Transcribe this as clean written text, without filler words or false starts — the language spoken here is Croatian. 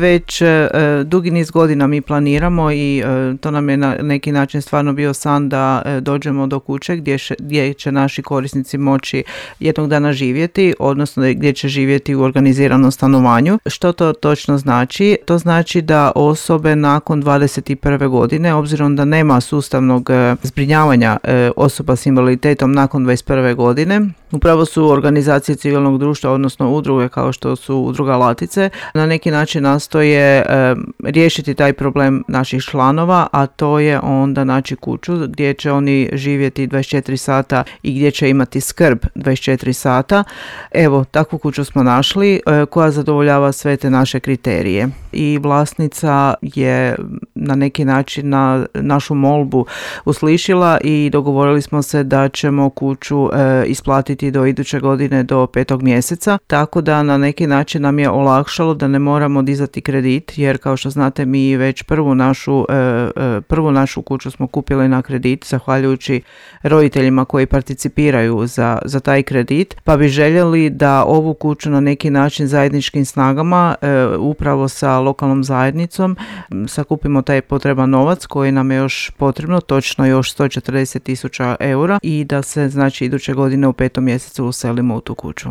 Već dugi niz godina mi planiramo i to nam je na neki način stvarno bio san da dođemo do kuće gdje će naši korisnici moći jednog dana živjeti, odnosno gdje će živjeti u organiziranom stanovanju. Što to točno znači? To znači da osobe nakon 21. godine, obzirom da nema sustavnog zbrinjavanja osoba s invaliditetom nakon 21. godine, upravo su organizacije civilnog društva, odnosno udruge kao što su Udruga Latice, na neki način nastoje riješiti taj problem naših članova, a to je onda naći kuću gdje će oni živjeti 24 sata i gdje će imati skrb 24 sata. Evo, takvu kuću smo našli koja zadovoljava sve te naše kriterije. I vlasnica je na neki način na našu molbu uslišila i dogovorili smo se da ćemo kuću isplatiti do iduće godine do 5. mjeseca, tako da na neki način nam je olakšalo da ne moramo dizati kredit, jer kao što znate mi već prvu našu kuću smo kupili na kredit zahvaljujući roditeljima koji participiraju za taj kredit, pa bi željeli da ovu kuću na neki način zajedničkim snagama upravo sa lokalnom zajednicom sakupimo taj potreban novac koji nam je još potrebno, točno još 140.000 eura, i da se znači iduće godine u 5. mjesecu uselimo u tu kuću.